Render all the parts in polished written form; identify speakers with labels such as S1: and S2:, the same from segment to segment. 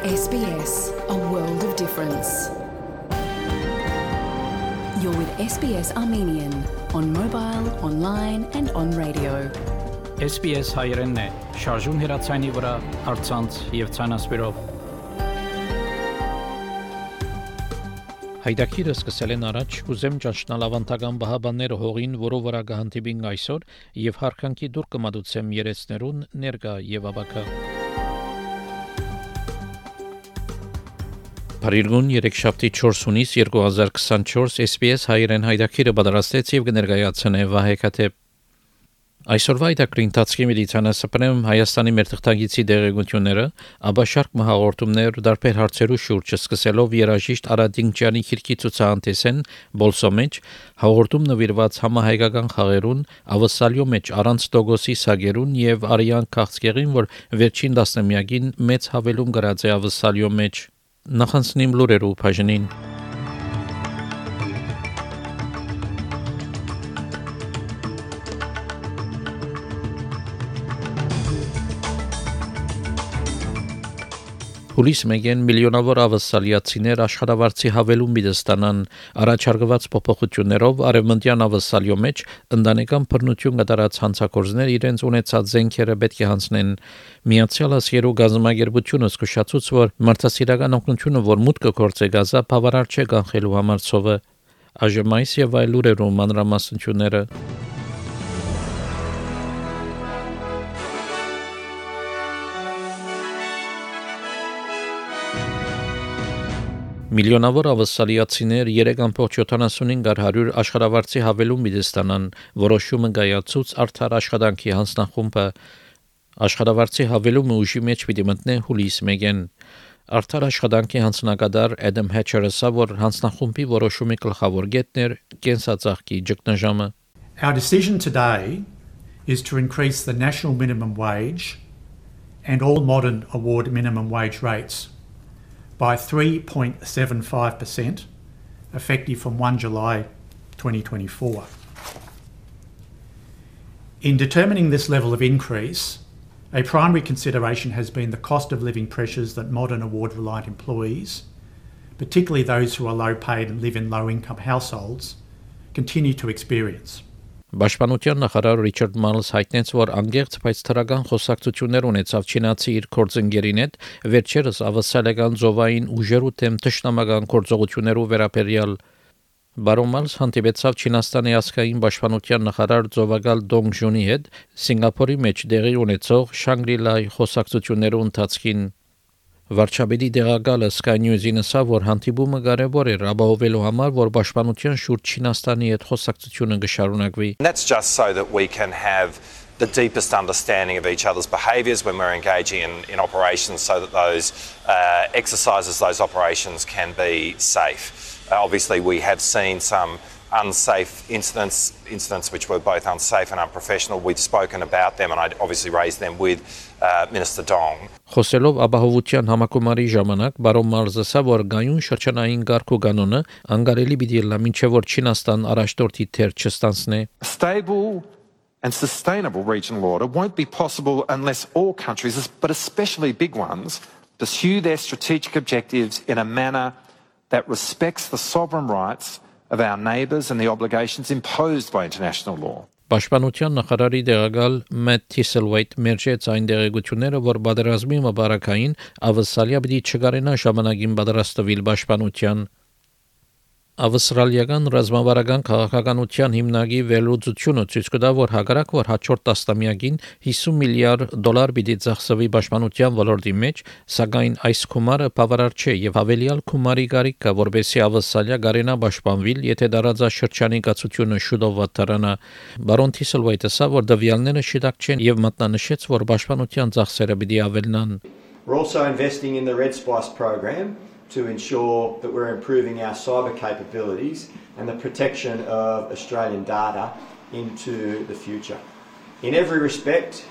S1: SBS, a world of difference. You're with SBS Armenian on mobile, online and on radio.
S2: SBS հայերենն է, շարժուն հեռացանի վրա, առցանց եւ ցանասպիրով։ Հայդակիրը սկսել են առաջ, կուզեմ ճանչնալ ավանդական բահաբանները հողին, որով վրա կհանդիպին այսօր եւ հարկանքի դուր կմատուցեմ երեցներուն ներկա եւ ավակա։ Փարիգուն 3-շաբթի 4 հունիս 2024 SBS հայերեն հայդակիրը պատրաստեց եւ կներկայացնե Վահե Քաթեփ։ Այսօրվա հայդակրի ընթացքի մեդիցինասպրեմ Հայաստանի մեր թղթագիտի դերակատարությունները, ապա շարք մհաղորդումներ դարբեր հարցերու շուրջ սկսելով երաժիշտ Արադինչյանի քիրքի ցուցահանդեսեն Բոլսո մեջ, հաղորդում նվիրված համահայկական խաղերուն, ավասալյո մեջ առանց տոգոսի սագերուն եւ արյան քաղցկեղին, որ վերջին 10-ամյակին մեծ հավելում գրած է ավասալյո մեջ։ Նախանցնիմ լուրերու բաժնին։ Հուլիս մեգեն միլիոնավոր ավասալիացիներ աշխարհավարտի հավելում ստանան առաջարկված փոփոխություններով արևմտյան ավասալյո մեջ ընտանեկան բռնություն կատարած հանցագործներ իրենց ունեցած զենքերը պետք է հանձնեն Միացյալ Աշխարհի գազամագերբությունը զսկուշացուց որ մարդասիրական օգնությունը որ մուտքը գործե գազա բավարար չէ կանխելու համար ծովը այժմ եւ այլ լուրերում մանրամասնությունները Միլիոնավոր ավասալիացիներ 3.75 աշխարհավարտի հավելում ստանան, որոշումը կայացուց արդար աշխատանքի հանձնախումբը աշխարհավարտի հավելումը ուժի մեջ պիտի մտնե հուլիս մեգեն արդար աշխատանքի հանձնակատար Adam Hatcher ասա, որ հանձնախումբի որոշումի գլխավոր կետն կենսածաղկի ճգնաժամը
S3: Our decision today is to increase the national minimum wage and all modern award minimum wage rates by 3.75%, effective from 1 July 2024. In determining this level of increase, a primary consideration has been the cost of living pressures that modern award-reliant employees, particularly those who are low-paid and live in low-income households, continue to experience.
S2: Պաշտպանության նախարար Ռիչարդ Մալս հայտնեց, որ անգերց բայց թրական խոսակցություններ ունեցավ չինացի իր գործընկերին հետ, վերջերս ավասալական զովային ուժերու դեմ թշնամական գործողություններով վերաբերյալ Բարոն Մալս հանդիպեցավ Չինաստանի ազգային պաշտպանության նախարար Զովագալ Դոնգժունի հետ Սինգապուրի մեջ դեղի ունեցող Շանգրի-Լայի խոսակցություններու ընթացքին Վարչապետի դեղակալը Sky News-ին ասավ, որ հանդիպումը կարևոր էր ապահովելու համար, որ պաշտպանության շուրջ Չինաստանի հետ խոսակցությունը կշարունակվի.
S4: That's just so that we can have the deepest understanding of each other's behaviours when we're engaging in operations so that those exercises, those operations can be safe. Obviously, we have seen some unsafe incidents which were both unsafe and unprofessional. We've spoken about them and I obviously raised them with Minister Dong.
S2: Խոսելով ապահովության համակարգի ժամանակ Բարոն Մալսը ասավ, որ գայուն շրջանային կարգ ու կանոնը անկարելի պիտի լա մինչև որ Չինաստան առաջնորդի թեր չստանցնի.
S5: Stable and sustainable regional order won't be possible unless all countries, but especially big ones, pursue their strategic objectives in a manner that respects the sovereign rights of our neighbours and the obligations imposed by international law.
S2: Պաշտպանության նախարարի դեղակալ Matt Thistlethwaite մերժեց այն դեղեցությունները, որ պատերազմի մբարակային ավասալիա պիտի չկարենա ժամանակին պատրաստվել պաշտպանության Ավստրալիական ռազմավարական քաղաքականության հիմնագի վերլուծությունը ցույց կտա, որ հակառակ որ հաջորդ տասնամյակին $50 միլիարդ պիտի ծախսվի պաշտպանության ոլորտի մեջ, սակայն այս գումարը բավարար չէ եւ հավելյալ գումարի կարիք կա, որովհետեւ ավսալիա գարենա պաշտպանվել, եթե դարաձաշրջանի կացությունը շուտով վատարանա։ Բարոն Թիսլվայթը ասա, որ դվյալները շիտակ չեն եւ մատնանշեց, որ պաշտպանության ծախսերը պիտի ավելնան։
S6: We're also investing in the Red Spice program to ensure that we're improving our cyber capabilities and the protection of Australian data into the future. In every respect,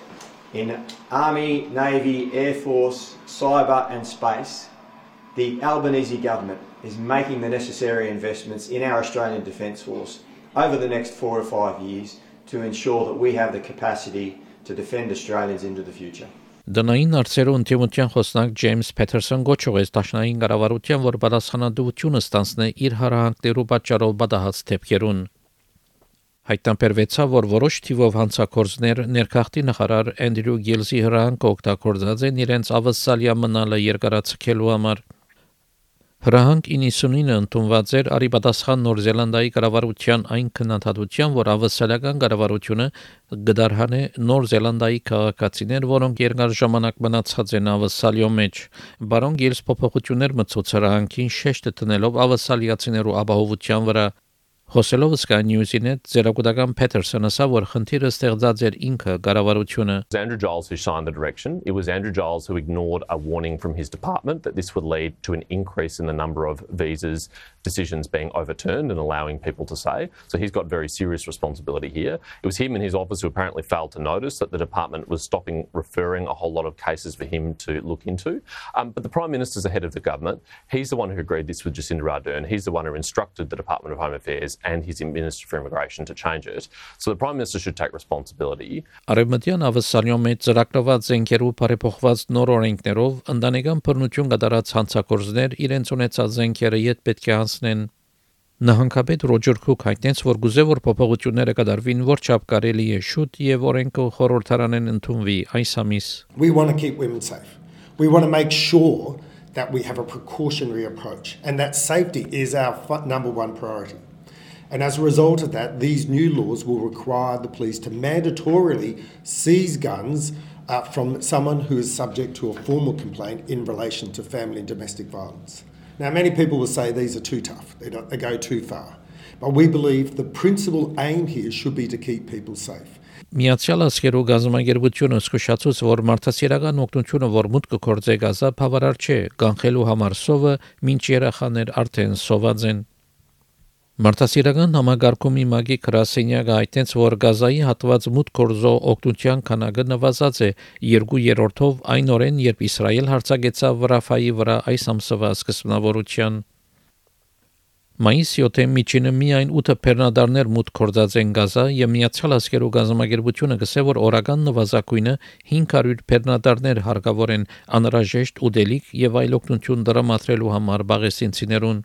S6: in Army, Navy, Air Force, cyber and space, the Albanese government is making the necessary investments in our Australian Defence Force over the next 4 or 5 years to ensure that we have the capacity to defend Australians into the future.
S2: Դնային արծերու ընդդիմության խոսնակ Ջեյմս Փեթերսոն գոչուեց դաշնային կառավարության, որ պատասխանատվությունը ստանձնե իր հարահանգներու պատճառով բադահած դեպքերուն։ Հայտնաբերվեցավ, որ որոշ թիվով հանցագործներ ներքախտի նախարար Էնդրյու Գիլզի հրանքը օգտագործած են իրենց ավասալիա մնալը երկարացնելու համար։ Հրանք 99-ը ընդունված էր արիպատասխան Նոր Զելանդիայի կառավարության այն քննադատության, որ ավասալական կառավարությունը գդարհանե Նոր Զելանդիայի քաղաքացիներ, որոնք երկար ժամանակ մնացած են ավասալիո մեջ։ Բարոն Գիլս փոփոխություններ մտցուց հրանքին շեշտը տնելով ավասալիացիներու ապահովության վրա։ Խոսելով Sky News-ին հետ Ձերագուտական Փեթերսոնը ասա, որ խնդիրը ստեղծած էր ինքը կառավարությունը։
S7: It was Andrew Giles who signed the direction. It was Andrew Giles who ignored a warning from his department that this would lead to an increase in the number of visas decisions being overturned and allowing people to stay. So he's got very serious responsibility here. It was him and his office who apparently failed to notice that the department was stopping referring a whole lot of cases for him to look into. But the Prime Minister's the head of the government. He's the one who agreed this with Jacinda Ardern. He's the one who instructed the Department of Home Affairs and his Minister for Immigration to change it. So the Prime Minister should take responsibility.
S2: Արևմտյան ավասալյո մեջ ծրագրված զենքերու բարեփոխված նոր օրենքներով ընտանեկան բռնություն կատարած հանցագործներ իրենց ունեցած զենքերը յետ պետք է հանձնեն։ Նահանգապետ Ռոջեր Քուք հայտնեց, որ գուզե որ փոփոխությունները կդարվին որչափ կարելի է շուտ եւ օրենքը խորհրդարանեն ընդունվի այս ամիս։
S8: We want to keep women safe. We want to make sure that we have a precautionary approach and that safety is our number one priority. And as a result of that, these new laws will require the police to mandatorily seize guns from someone who is subject to a formal complaint in relation to family and domestic violence. Now, many people will say these are too tough, they go too far. But we believe the principal aim here should be to keep people safe.
S2: Միացյալ Աշխարհի գազամագերբությունը զսկուշացուց, որ մարդասիրական օգնությունը, որ մուտք կգործե Գազա, բավարար չէ, կանխելու համար սովը, մինչ երեխաներ արդեն սոված են։ Մարդասիրական համագարկումի մագի Կրասենյակը հայտնեց, որ Գազայի հատված մուտք գործող օգնության քանակը նվազած է 2/3-ով այն օրեն, երբ Իսրայել հարձակեցավ Ռաֆայի վրա այս ամսվա սկզբնավորության։ Մայիսի 7-ին միջինը միայն 8 բեռնադարներ մուտք գործած են Գազա եւ Միացյալ Աշխարհի գազամագերբությունը գսե, որ օրական նվազագույնը 500 բեռնադարներ հարկավոր են անհրաժեշտ ուտելիք եւ այլ օգնություն դրամատրելու համար բաղեսինցիներուն։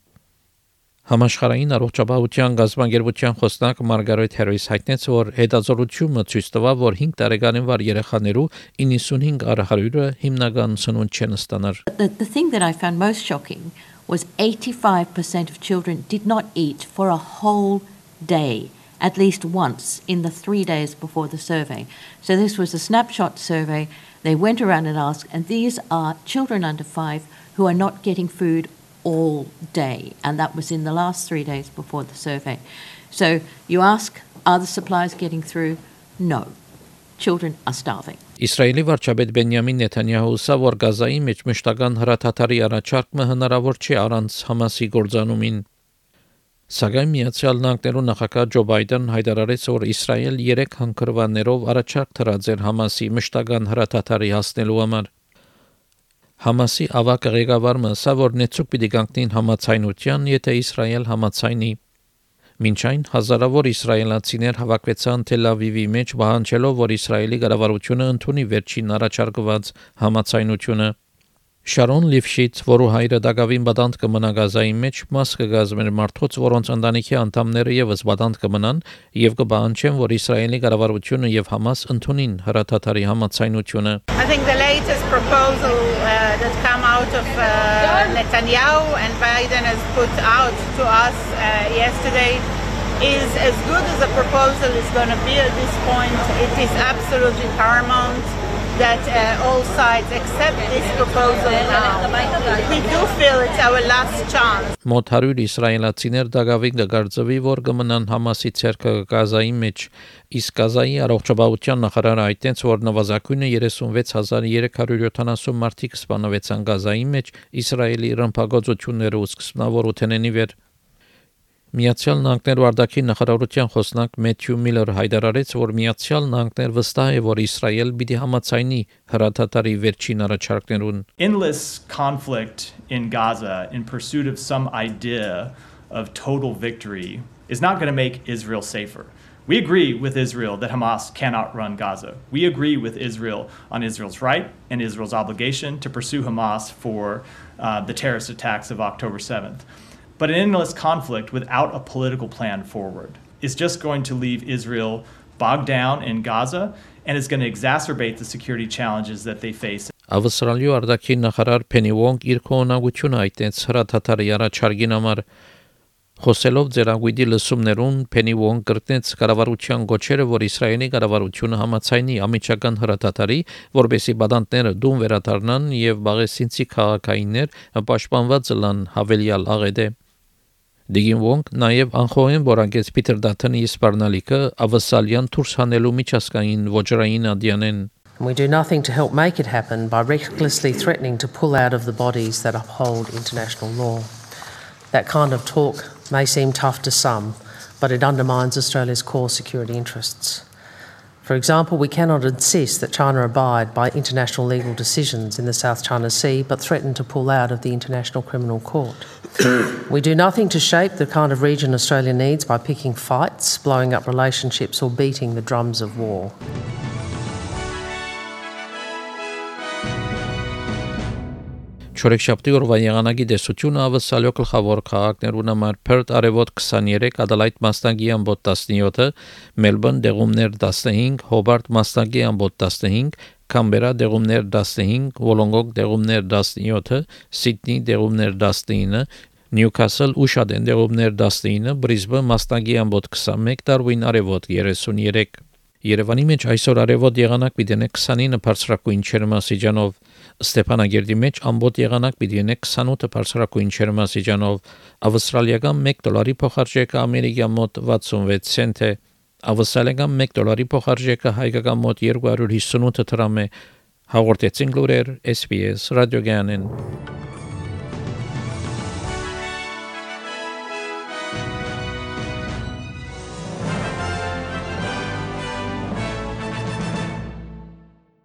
S2: Համաշխարհային առողջապահության գազամագերբության խոսնակ Մարգարետ Հերոյս հայտնեց, որ հետազոտությունը ցույց տվավ, որ 5 տարեկանին վար երեխաներու 95%-ը հիմնական սնունդ չեն ստանար։
S9: The thing that I found most shocking was 85% of children did not eat for a whole day, at least once in the 3 days before the survey. So this was a snapshot survey. They went around and asked, and these are children under 5 who are not getting food all day, and that was in the last 3 days before the survey. So you ask, are the supplies getting through? No. Children are starving.
S2: Իսրայելի վարչապետ Բենյամին Նեթանյահու ասա, որ Գազայի մեջ մշտական հրաթաթարի առաջարկը հնարավոր չէ առանց Համասի գործանումին։ Սակայն Միացյալ Նահանգներու նախագահ Ջո Բայդեն հայտարարեց, որ Իսրայել 3 հանգրվաններով առաջարկ թրած էր Համասի մշտական հրաթաթարի հասնելու համար։ Համասի ավակ ղեկավարը ասա, որ նեցուկ պիտի կանգնին համացայնության, եթե Իսրայել համացայնի։ Մինչ այն հազարավոր իսրայելացիներ հավաքվեցան Թել Ավիվի մեջ, պահանջելով, որ Իսրայելի կառավարությունը ընդունի վերջին առաջարկված համացայնությունը։ Շարոն Լիվշից, որու հայրը դակավին բադանտ կմնա Գազայի մեջ, մաս կգազմեր մարդոց, որոնց ընտանիքի անդամները եւս բադանտ կմնան եւ կպահանջեն, որ Իսրայելի կառավարությունը եւ Համաս ընդունին հրաթաթարի համացայնությունը։
S10: I think the latest proposal that come out of Netanyahu and Biden has put out to us yesterday is as good as a proposal is going to be at this point. It is absolutely paramount that all sides accept this proposal now. We do feel it's our last chance.
S2: Մոտ 100 իսրայելացիներ դակավին կգարձվի, որ կմնան Համասի ցերկը Գազայի մեջ, իսկ Գազայի առողջապահության նախարարը հայտնեց, որ նվազագույնը 36370 մարդիկ սպանվեցան Գազայի մեջ Իսրայելի ռմբակոծությունները ու սկզբնավորությունների վեր։ Միացյալ Նահանգներու արտաքին նախարարության խոսնակ Մեթյու Միլլեր հայտարարեց, որ Միացյալ Նահանգներ վստահ է, որ Իսրայել պիտի համաձայնի հրաթաթարի վերջին առաջարկներուն։
S11: Endless conflict in Gaza in pursuit of some idea of total victory is not going to make Israel safer. We agree with Israel that Hamas cannot run Gaza. We agree with Israel on Israel's right and Israel's obligation to pursue Hamas for the terrorist attacks of October 7th. But an endless conflict without a political plan forward is just going to leave Israel bogged down in Gaza and is going to exacerbate the security challenges that they face.
S2: Ավստրալիու արտաքին նախարար Փենի Վոնգ իր կողմնակությունը հայտնեց հրաթաթարի առաջարկին համար խոսելով ձեռագույդի լսումներուն Փենի Վոնգ կրկնեց կառավարության գոչերը, որ Իսրայելի կառավարությունը համաձայնի ամիջական հրաթաթարի, որբեսի բադանտները դուն վերադառնան եւ բաղեսինցի քաղաքայիններ պաշտպանված լան հավելյալ աղեդե Դիգին Վոնգ նաև անխոհեն որանգեց Պիտեր Դաթոնի սպառնալիքը ավսալյան դուրս հանելու միջազգային ոչռային ադյանեն
S12: We do nothing to help make it happen by recklessly threatening to pull out of the bodies that uphold international law. That kind of talk may seem tough to some, but it undermines Australia's core security interests. For example, we cannot insist that China abide by international legal decisions in the South China Sea, but threaten to pull out of the International Criminal Court. We do nothing to shape the kind of region Australia needs by picking fights, blowing up relationships, or beating the drums of war.
S2: Չորեքշաբթի օրվա եղանակի տեսությունը ավսալյո գլխավոր քաղաքներուն համար Perth արևոտ 23, Adelaide մասնագի ամբոտ 17, Melbourne դեղումներ 15, Hobart մասնագի ամբոտ 15, Canberra դեղումներ 15, Wollongong դեղումներ 17, Sydney դեղումներ 19, Newcastle ուշադեն դեղումներ 19, Brisbane մասնագի ամբոտ 21, Darwin արևոտ 33 Երևանի մեջ այսօր արևոտ եղանակ պիտի 29 բարձրակույն ջերմաստիճանով Ստեփանագերդի մեջ ամբոտ եղանակ պիտի 28 բարձրակույն ջերմաստիճանով ավստրալիական $1 փոխարժեքը ամերիկյան մոտ 66 سنت է ավստրալիական $1 փոխարժեքը հայկական մոտ 258 դրամ է հաղորդեցին լուրեր SPS ռադիոգյանեն